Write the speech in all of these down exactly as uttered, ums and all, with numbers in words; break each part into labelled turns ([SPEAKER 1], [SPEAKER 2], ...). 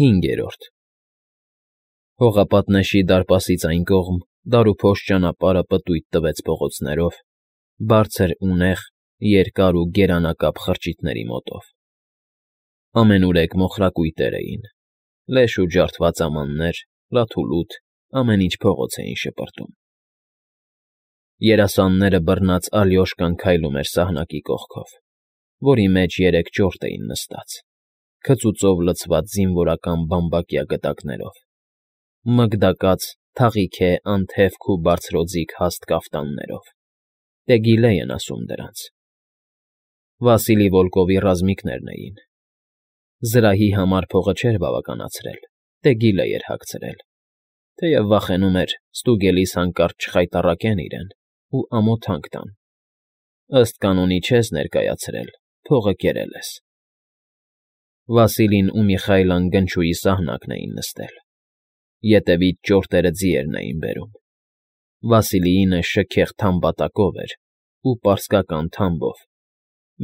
[SPEAKER 1] Հինգերորդ Հողապատնեշի դարպասից այն կողմ դարուփոս ճանապարհը պտույտ տվեց փողոցներով, բարձր ու նեղ, երկար ու գերանակապ խրճիթների մոտով. ամենուրեք մոխրակույտեր էին, լեշ ու ջարդված ամաններ, լաթուլութ, ամեն ինչ փողոց էին շպրտում. Երասանները բռնած Ալյոշկան քայլում էր սահնակի կողքով, որի մեջ երեք ճորտ էին նստած, քծուծով լցված զինվորական բամբակյա գդակներով, մգդակած, թաղիքե, անթևք ու բարձրօձիք հաստ կաֆտաններով, Տեգիլե են ասում դրանց. Վասիլի Վոլկովի ռազմիկներն էին. զրահի համար փողը չէր բավականացրել, Տեգիլե էր հագցրել, թեև վախենում էր ստուգելիս հանկարծ չխայտառակեն իրեն ու ամոթանք տան. ըստ կանոնի չես ներկայացրել, փողը կերել ես։ Վասիլին ու Միխայլան գնչուի սահնակն էին նստել, ետևից ճորտերը ձիերն էին բերում, Վասիլիինը շքեղ թամբատակով էր ու պարսկական թամբով,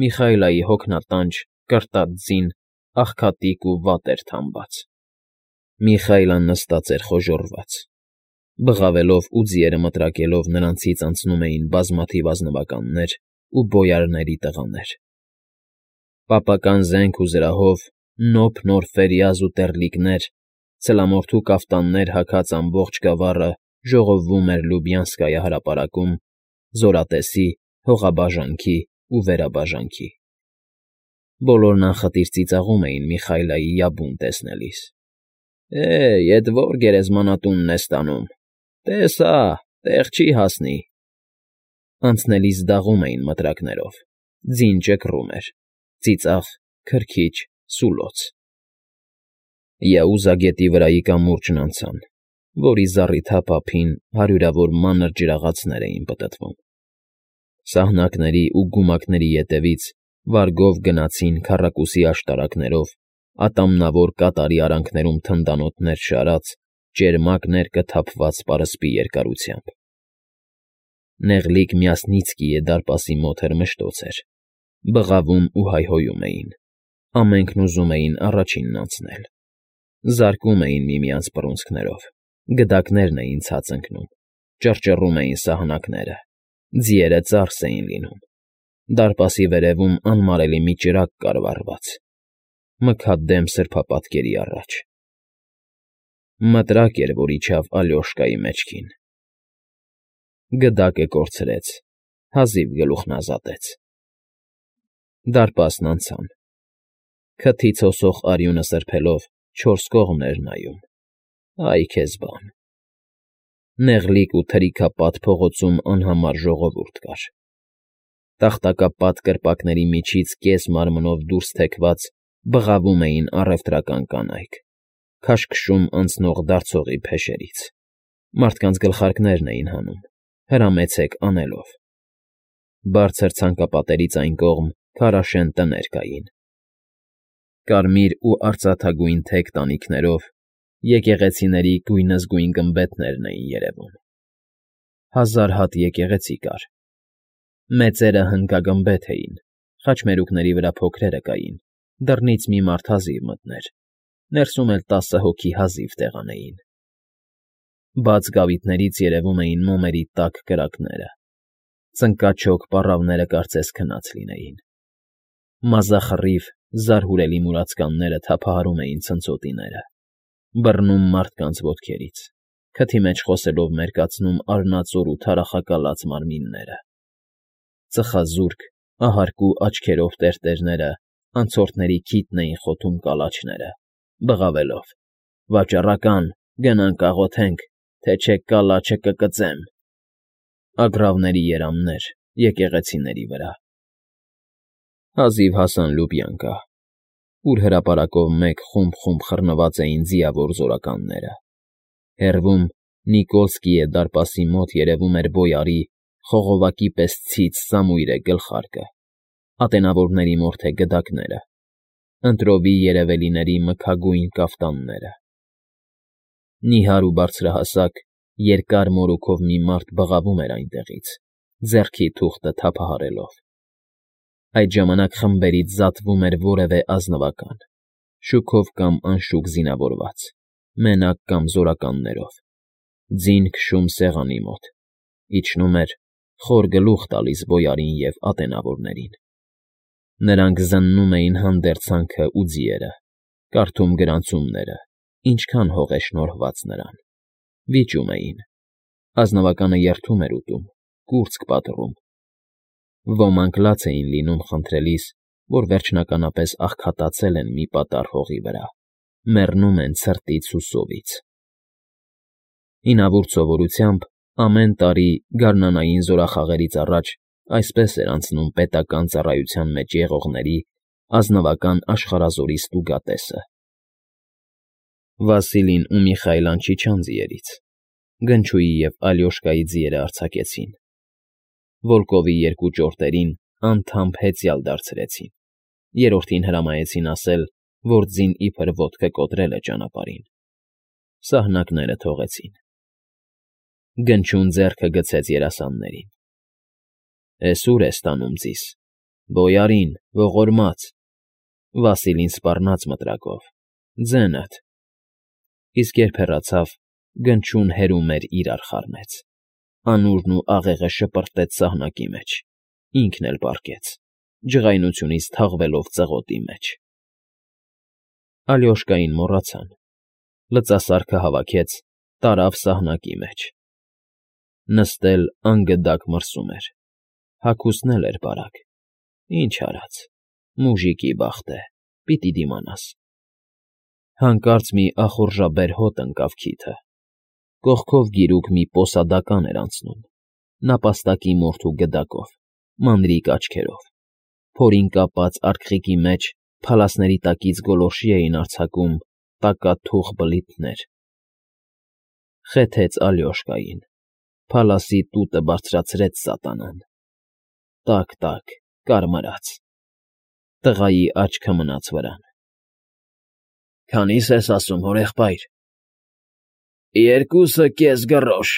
[SPEAKER 1] Միխայլայի հոգնատանջ, կրտած ձին աղքատիկ ու վատ էր թամբած, Միխայլան նստած էր խոժոռված, բղավելով ու ձիերը մտրակելով նրանցից անցնում էին բազմաթիվ ազնվականներ ու բոյարների տղաներ, պապական զենք ու զրահով, նոփ նոր ֆերյազ ու տեռլիկներ, ցլամորթու կաֆտաններ հագած ամբողջ գավառը ժողովվում էր Լյուբյանսկայա հրապարակում, զորատեսի, հողաբաժանքի ու վերաբաժանքի։ Բոլորն անխտիր ծիծաղում էին Միխայլայի յաբուն տեսնելիս. Է՜, էդ ո՞ր գերեզմանատունն ես տանում, տես հա, տեղ չի հասնի։ Անցնելիս դաղում էին մտրակներով, ձին ճկռում էր, ծիծաղ, քրքիջ, սուլոց։ Յաուզա գետի վրայի կամուրջն անցան, որի զառիթափ ափին հարյուրավոր մանր ջրաղացներ էին պտտվում, սահնակների ու գումակների ետևից վարգով գնացին քառակուսի աշտարակներով, ատամնավոր կատարի արանքներում թնդանոթներ շարած, ճերմակ ներկը թափված պարսպի երկարությամբ։ Նեղլիկ Մյասնիցկիե դարպասի մոտ էր մշտոց էր, բղավում ու հայհոյում էին, ամենքն ուզում էին առաջինն անցնել, զարկում էին միմյանց բռունցքներով, գդակներն էին ցած ընկնում, ճռճռում էին սահնակները, ձիերը ծարս էին լինում, դարպասի վերևում անմարելի մի ճրագ կար վառված, մքադեմ սրբապատկերի առաջ։ Մտրակ էր, որ իջավ Ալյոշկայի մեջքին։ Գդակը կորցրեց, հազիվ գլուխն ազատեց։ Դարպասն անցան, քթից հոսող արյունը սրբելով չորս կողմն էր նայում, այ քեզ բան։ Նեղլիկ ու թրիքապատ փողոցում անհամար ժողովուրդ կար։ Տախտակապատ կրպակների միջից կես մարմնով դուրս թեքված բղավում էին առևտրական կանայք, քաշքշում անցնող դարձողի փեշերից, մարդկանց գլխարկներն էին հանում, հրամեցեք անելով։ Բարձր ցանկապատերից այն կողմ քարաշեն տներ կային, կարմիր ու արծաթագույն թեք տանիքներով, եկեղեցիների գույնզգույն գմբեթներն էին երևում։ Հազար հատ եկեղեցի կար, մեծերը հնկագմբեթ էին, խաչմերուկների վրա փոքրերը կային, դռնից մի մարդ հազիվ մտներ, ներսում էլ տասը հոգի հազիվ տեղանեին։ Բաց գավիթներից երևում էին մոմերի տաք կրակները, ծնկաչոք պառավները կարծես քնած լինեին, մազախռիվ, զարհուրելի մուրացկանները թափահարում էին ցնցոտիները, բռնում մարդկանց ոտքերից, քթի մեջ խոսելով մերկացնում արնածոր ու թարախակալած մարմինները, ծխազուրկ, ահարկու աչքերով տերտերները անցորդների քիթն էին խոթում կալաչները, բղավելով. վաճառական, գնանք աղոթենք, թե չէ կալաչը կկծեմ։ Ագռավների երամներ, եկեղեցիների վրա։ Հազիվ հասան Լյուբյանկա, ուր հրապարակով մեկ խումբ-խումբ խռնված էին ձիավոր զորականները։ Հեռվում Նիկոլսկիե դարպասի մոտ երևում էր բոյարի, խողովակի պես ցից Սամուիրե գլխարկը, ատենավորների մորթե գդակները, ընտրովի երևելիների մքագույն կաֆտանները։ Նիհար ու բարձրահասակ, երկար մորուքով մի մարդ բղավում էր այնտեղից, ձեռքի թուղթը թափահարելով։ Այդ ժամանակ խմբերից զատվում էր որևէ ազնվական, շուքով կամ անշուք զինավորված, մենակ կամ զորականներով, ձին քշում սեղանի մոտ, իջնում էր, խոր գլուխ տալիս բոյարին և ատենավորներին. նրանք զննում էին հանդերձանքը ու ձիերը, կարդում գրանցումները, ինչքան հող է շնորհված նրան, վիճում էին, ազնվականը երդում էր ուտում, կուրծք պատռում, ոմանք լաց էին լինում խնդրելիս, որ վերջնականապես աղքատացել են մի պատառ հողի վրա, մեռնում են ցրտից ու սովից։ Հինավուրց սովորությամբ ամեն տարի գարնանային զորախաղերից առաջ այսպես էր անցնում պետական ծառայության մեջ եղողների ազնվական աշխարհազորի ստուգատեսը։ Վասիլին ու Միխայլան չիջան ձիերից, Գնչուի և Ալյոշկայի ձիերը արձակեցին, Վոլկովի երկու ճորտերին անդամբ հեծյալ դարձրեցին, երրորդին հրամայեցին ասել, որ ձին իբր ոտքը կոտրել է ճանապարհին, սահնակները թողեցին։ Գնչուն ձեռքը գցեց երասաններին. Էս ուր ես տանում ձիս, բոյարին, ողորմած, Վասիլին սպառնաց մտրակով, ձենդ, իսկ երբ հեռացավ, Գնչուն հերումեր իրար խառնեց, անուրն ու աղեղը շպրտեց սահնակի մեջ, ինքն էլ պառկեց, ջղայնությունից թաղվելով ծղոտի մեջ։ Ալյոշկային մոռացան, լծասարքը հավաքեց, տարավ սահնակի մեջ։ Նստել անգդակ մրսում էր, հագուստն էլ էր բարակ, ինչ արած, մուժիկի բախտ է, պիտի դիմանաս։ Հանկարծ մի ախորժաբեր հոտ ընկավ քիթը, կողքով գիրուկ մի պոսադական էր անցնում, նապաստակի մորթու գդակով, մանրիկ աչքերով, փորին կապած արկղիկի մեջ փալասների տակից գոլորշի էին արձակում տակաթուխ բլիթներ։ Խեթեց Ալյոշկային, փալասի տուտը բարձրացրեց սատանան, տակ֊տակ, կարմրած, տղայի աչքը մնաց վրան։ Քանի՞ս ես ասում, հորեղբայր։ Երկուսը կես գրոշ,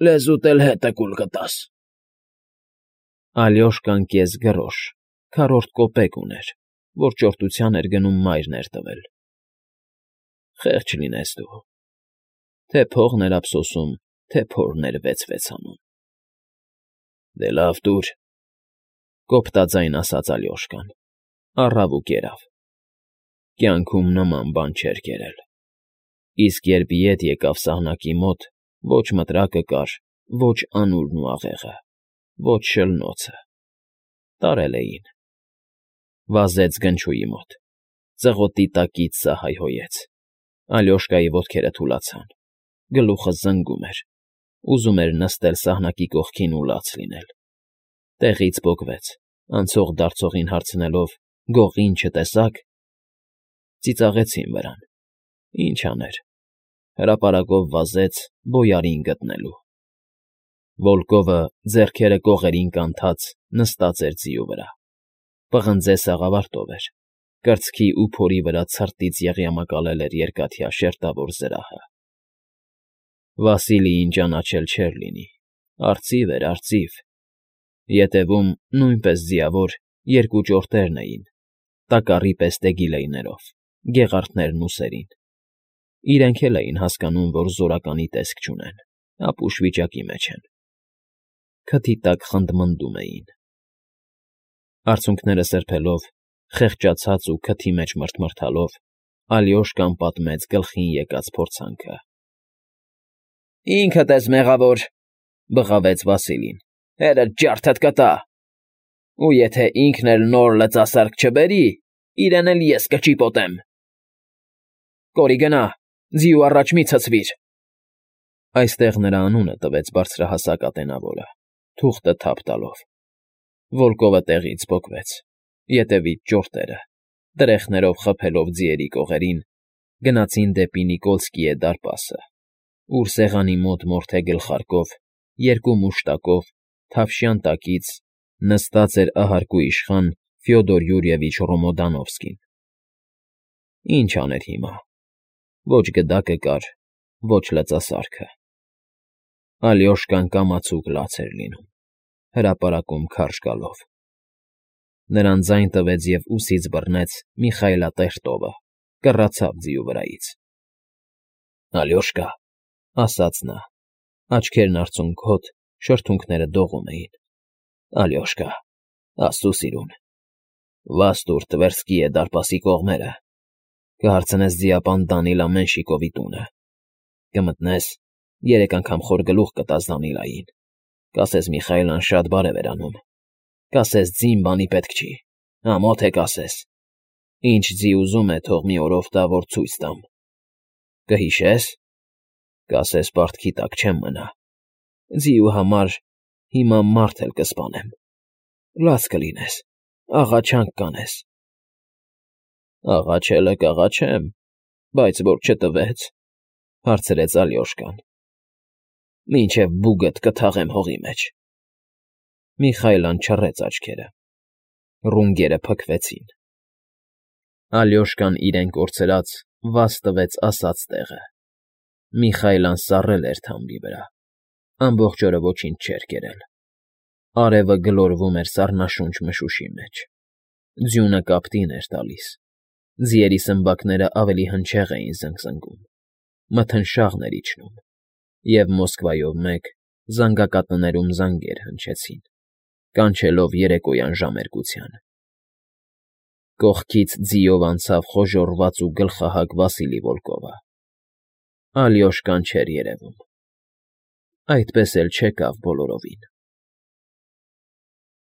[SPEAKER 1] լեզուտ էլ հետը կուլ կտաս։ Ալյոշկան կես գրոշ, քառորդ կոպեկ ուներ, որ ճորտության էր գնում մայրն էր տվել։ Խեղճ լինես դու, թե փողն էր ափսոսում, թե փորն էր վեց֊վեց անում։ Դե լավ տուր, կոպտաձայն ասաց Ալյոշկան, առավ ու կերավ։ Կյանքում նման բան չէր կերել։ Իսկ երբ ետ եկավ սահնակի մոտ, ոչ մտրակը կար, ոչ անուրն ու աղեղը, ոչ շլնոցը, տարել էին։ Վազեց Գնչուի մոտ, ծղոտի տակից սա հայհոյեց, Ալյոշկայի ոտքերը թուլացան, գլուխը զնգում էր, ուզում էր նստել սահնակի կողքին ու լաց լինել։ Տեղից պոկվեց, անցող֊դարձողին հարցնելով. «Գողին չտեսա՞ք»։ Ծիծաղեցին վրան։ Ինչ աներ, հրապարակով վազեց բոյարին գտնելու։ Վոլկովը, ձեռքերը կողերին կանթած, նստած էր ձիու վրա, պղնձե սաղավարտով էր, կրծքի ու փորի վրա ցրտից եղյամակալել էր երկաթյա շերտավոր զրահը։ Վասիլիին ճանաչել չէր լինի, արծիվ էր, արծիվ, ետևում, նույնպես ձիավոր, երկու ճորտերն էին, տակառի պես տեգիլեյներով, գեղարդներն ուսերին։ Իրենք էլ էին հասկանում, որ զորականի տեսք չունեն, ապուշ վիճակի մեջ են։ Քթի տակ խնդմնդում էին։ Արցունքները սրբելով, խեղճացած ու քթի մեջ մռթմռթալով, Ալյոշկան պատմեց գլխին եկած փորձանքը։ Ինքդ ես մեղավոր, բղավեց Վասիլին, հերդ ջարդդ կտա։ Ու եթե ինքն էլ նոր լծասարք չբերի, իրեն էլ ես կճիպոտեմ։ Կորի գնա, ձիու առաջ մի ցցվիր։ Այստեղ նրա անունը տվեց բարձրահասակ ատենավորը, թուղթը թափ տալով։ Վոլկովը տեղից պոկվեց, ետևից ճորտերը, տրեխներով խփելով ձիերի կողերին, գնացին դեպի Նիկոլսկիե դարպասը, ուր սեղանի մոտ մորթե գլխարկով, երկու մուշտակով, թավշյան տակից նստած էր ահարկու իշխան Ֆյոդոր Յուրիևիչ Ռոմոդանովսկին։ Ինչ աներ հիմա, ոչ գդակը կար, ոչ լծասարքը։ Ալյոշկան կամացուկ լաց էր լինում, հրապարակում քարշ գալով։ Նրան ձայն տվեց և ուսից բռնեց մի խայլատեր տովը, կռացավ ձիու վրայից։ ֊ Ալյոշկա,֊ ասաց նա, աչքերն արցունքոտ, շրթունքները դողում էին,֊ Ալյոշկա, աստծո սիրուն, վազ տուր Տվերսկիե դարպասի կողմերը, կհարցնես ձիապան Դանիլա Մենշիկովի տունը, կմտնես, երեք անգամ խոր գլուխ կտաս Դանիլային, կասես Միխայլն շատ բարև էր անում, կասես ձին բանի պետք չի, ամոթ է կասես, ինչ ձի ուզում է, թող մի օրով տա, որ ցույց տամ, կհիշե՞ս, կասես պարտքի տակ չեմ մնա, ձիու համար հիմա մարդ էլ կսպանեմ, լաց կլինես, աղաչանք կանես։ ֊ Աղաչելը կաղաչեմ, բայց որ չտվեց,֊ հարցրեց Ալյոշկան։ ֊ Մինչև բուգդ կթաղեմ հողի մեջ։ Միխայլն չռեց աչքերը։ Ռունգերը փքվեցին։ Ալյոշկան իրեն կորցրած վազ տվեց ասած տեղը։ Միխայլն սառել էր թամբի վրա, ամբողջ օրը ոչինչ չէր կերել։ Արևը գլորվում էր սառնաշունչ մշուշի մեջ, ձյունը կապտին էր տալիս, ձիերի սմբակները ավելի հնչեղ էին զնգզնգում, մթնշաղն էր իջնում, և Մոսկվայով մեկ զանգակատներում զանգեր հնչեցին, կանչելով երեկոյան ժամերկության։ Կողքից ձիով անցավ խոժոռված ու գլխահակ Վասիլի Վոլկովը։ Ալյոշկան չէր երևում։ Այդպես էլ չեկավ բոլորովին։